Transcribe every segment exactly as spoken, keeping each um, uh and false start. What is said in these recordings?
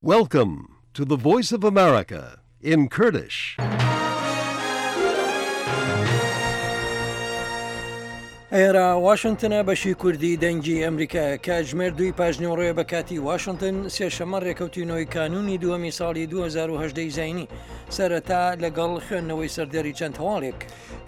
Welcome to the Voice of America in Kurdish. ئێرە واشنتنە بەشی کوردی دەنگی ئەمریکایە کاتژمێر دووی پاژنیوەڕۆیە بە کاتی واشنتن سێشەممە ڕێکەوتی نۆی کانوونی دووەمی ساڵی دوو هەزار و هەژدە ی زایینی سەرەتا لەگەڵ خوێندنەوەی سەردێڕی چەند هەواڵێک.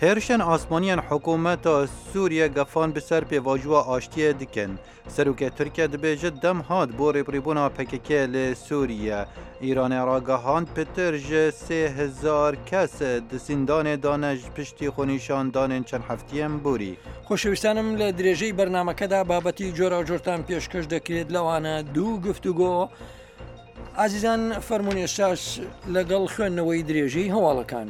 هێرشên asmaniyên hikûmeta Sûriye gefan bi ser pêvajoya aştiyê dikin. Serokê Tirkiye dibêje dem hat bo rêbirîbûna P K K li Sûriye. Îranê ragihand pitir ji sê hezar kes di zîndanê de ne ji piştî xwenîşandanên çend hefteyên borî. خۆشەویستانم لە درێژەی بەرنامەکەدا بابەتی جۆراوجۆرتان پێشکەش دەکرێت لەوانە دوو گفتوگۆ. ئازیزان فەرموون ئێستاش لەگەڵ خوێندنەوەی درێژەی هەواڵەکان.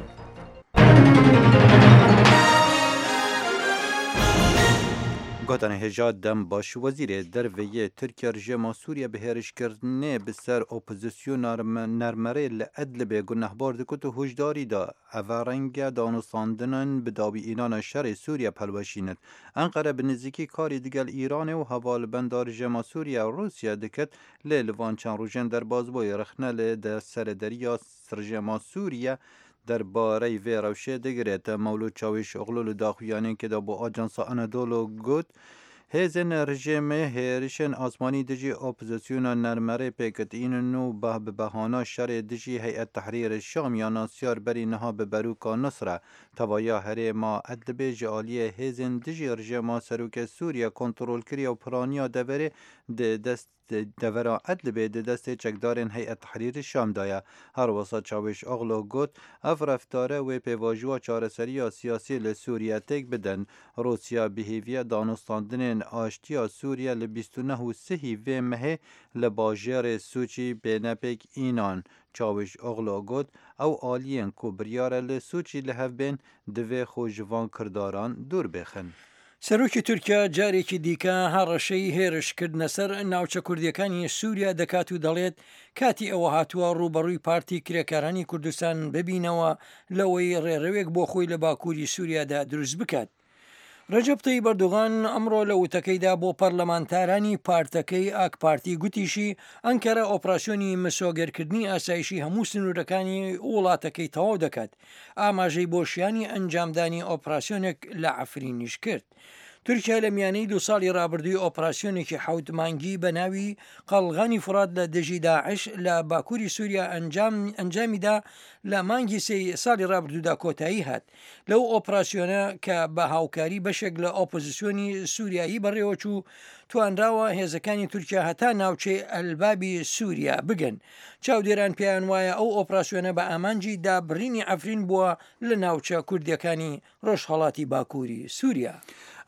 Gotanê hêja dem baş wezîrê derveyê Tirkiye rejîma Sûriye bi hêrişkirinê bi ser opozisyona nermerê li Edlibê gunehbar dikit û huşdarî da ev renge danûstandinên bi dawî înana şerê Sûriye pelweşînin. Enqere bi nêzîkî karî digel Îranê û hevalbenda rejîma Sûriye Rûsya diket lê li van çend rojên derbasbûyî rexne li serêderiya rejîma Sûriye derbarey vê rewşê digirêt. Mewlûd Çawîşoğlu li daxuyaniyekê de bo Ajansa Anadolu got, Hêzên rejîmê hêrişên asmanî dijî opozisyona nermerê pêk tînin û bi behana şerê dijî Heyet Tehrîr Şam ya nasyar berî niha bi berûka Nusre tevaya herêma Edlibê ji aliyê hêzên dijî rejîma Serokê Sûriye kontrol kiriye û piraniya deverê di dest devera Edlibê di destê çekdarên Heyet Tehrîr Şam de ye. Her wisa Çawîşoğlu got, ev reftare wê pêvajoya çareseriya siyasî li Sûriye têk bidin. Rûsya bi hêviya danûstandinên aştiya Sûriye li bîst û neh û sihî vê mehê li bajêrê Sûçî bêne pêk înan. Çawîşoğlu got, ew aliyên ku biryare li Sûçî li hev bên divê xwe ji van kirdaran dûr bixin. سەرۆکی تورکیا جارێکی دیکە هەڕەشەی هێرشکردنە سەر ناوچە کوردیەکانی سووریا دەکات و دەڵێت کاتی ئەوە هاتووە ڕووبەڕووی پارتی کرێکارانی کوردستان ببینەوە لەوەی ڕێڕەوێک بۆ خۆی لە باکووری سووریادا دروست بکات. ڕەجەب تەیب ئەردۆغان ئەمڕۆ لە وتەکەیدا بۆ پەرلەمانتارانی پارتەکەی ئاک پارتی گوتیشی ئەنکەرە ئۆپراسیۆنی مسۆگەرکردنی ئاسایشی هەموو سنوورەکانی وڵاتەکەی تەواو دەکات. ئاماژەی بۆ شیانی ئەنجامدانی ئۆپراسیۆنێک لە عەفرینیش کرد. تورکیا لە میانەی دوو ساڵی ڕابردووی ئۆپراسیۆنێکی حەوت مانگی بە ناوی قەڵغانی فورات لە دژی داعش لە باکووری سووریا ئەنجامیدا لە مانگی سێی ساڵی ڕابردوودا کۆتایی هات. لەو ئۆپراسیۆنە کە بە هاوکاری بەشێک لە ئۆپۆزیسیۆنی سووریایی بەڕێوەچوو توانراوە هێزەکانی تورکیا هەتا ناوچەی ئەلبابی سووریا بگەن. چاودێران پێیان وایە ئەو ئۆپراسیۆنە بە ئامانجی دابڕینی عەفرین بووە لە ناوچە کوردیەکانی ڕۆژهەڵاتی باکووری سووریا.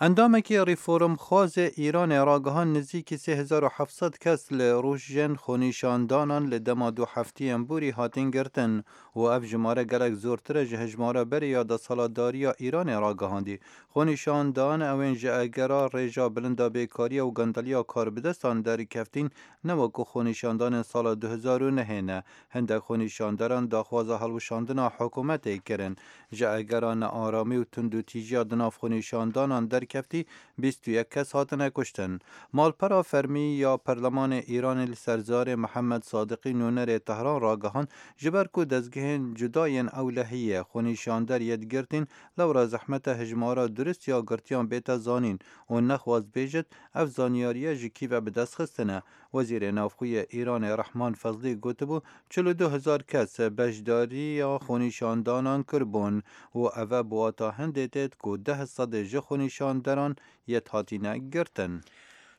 ئەندامێکی ڕیفۆرمخوازê Îranê ragihand nêzîkî sê hezar û heft sed kes li rojên xwenîşandanan li dema du hefteyên borî hatin girtin û ev jimare gelek zortir e ji hejmara berê ya desthilatdariya Îranê ragihandî. Xwenîşandan ew ên ji egera rêja bilinda bêkariya û gendeliya karbidestan derkeftîn ne wekû xwenîşandanên sala du hezar û nehê ne. Hindek xwenîşanderan daxwaza hilweşandina hikûmetê kirin. Ji egera nearamî û tundûtîjiya di nav xwenîşandanan derkeftî bîst û yek kes hatine kuştin. Malpera fermî ya Perlemanê Îranê li ser zarê Mihemed Sadiqî nûnerê Tehran ragihand ji ber ku dezgehên cuda yên ewlehiyê xwenîşander yê lewra zehmete hejmara durist ya girtiyan bête zanîn û nexwast bêjit ev zanyariye ji kî ve bi dest xistine. Wezîrê Navxweyê Îranê Rehman Fezlî gotibû çil û du hezar kes beşdariya xwenîşandanan kiribûn û ev e bi wata hindê têt ku deh sedê ji xwenîşanderan yê hatine girtin.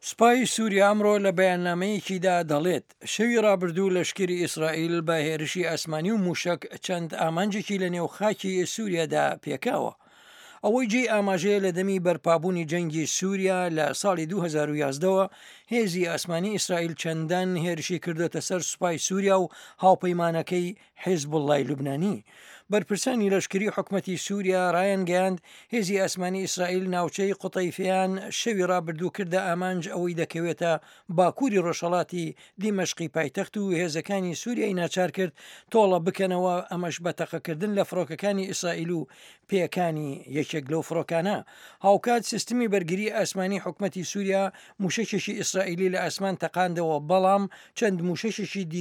سوپای سووریا ئەمڕۆ لە بەیاننامەیەکیدا دەڵێت شەوی ڕابردوو لەشکری ئیسرائیل بە هێرشی ئاسمانی و موشک چەند ئامانجێکی لە نێو خاکی سووریادا پێکاوە. ئەوەی جێی ئاماژەیە لە دەمی بەرپابوونی جەنگی سووریا لە ساڵی دوو هەزار و یازدەوە هێزی ئاسمانی ئیسرائیل چەندان هێرشی کردوێتە سەر سوپای سووریا و هاوپەیمانەکەی حیزبوڵڵای لوبنانی. بەرپرسانی لەشکری حکومەتی سووریا ڕایانگەیاند هێزی ئاسمانی ئیسرائیل ناوچەی قوتەیفیان شەوی ڕابردوو کردە ئامانج ئەوەی دەکەوێتە باکووری ڕۆژهەڵاتی دیمەشقی پایتەخت و هێزەکانی سووریای ناچار کرد تۆڵە بکەنەوە، ئەمەش بە تەقەکردن لە فڕۆکەکانی ئیسرائیل و پێکانی یەکێک لەو فڕۆکانە. هاوکات سیستمی بەرگری ئاسمانی حکومەتی سووریا موشەکێکی ئیسرائیلی لە ئاسمان تەقاندەوە، بەڵام چەند موشەکێکی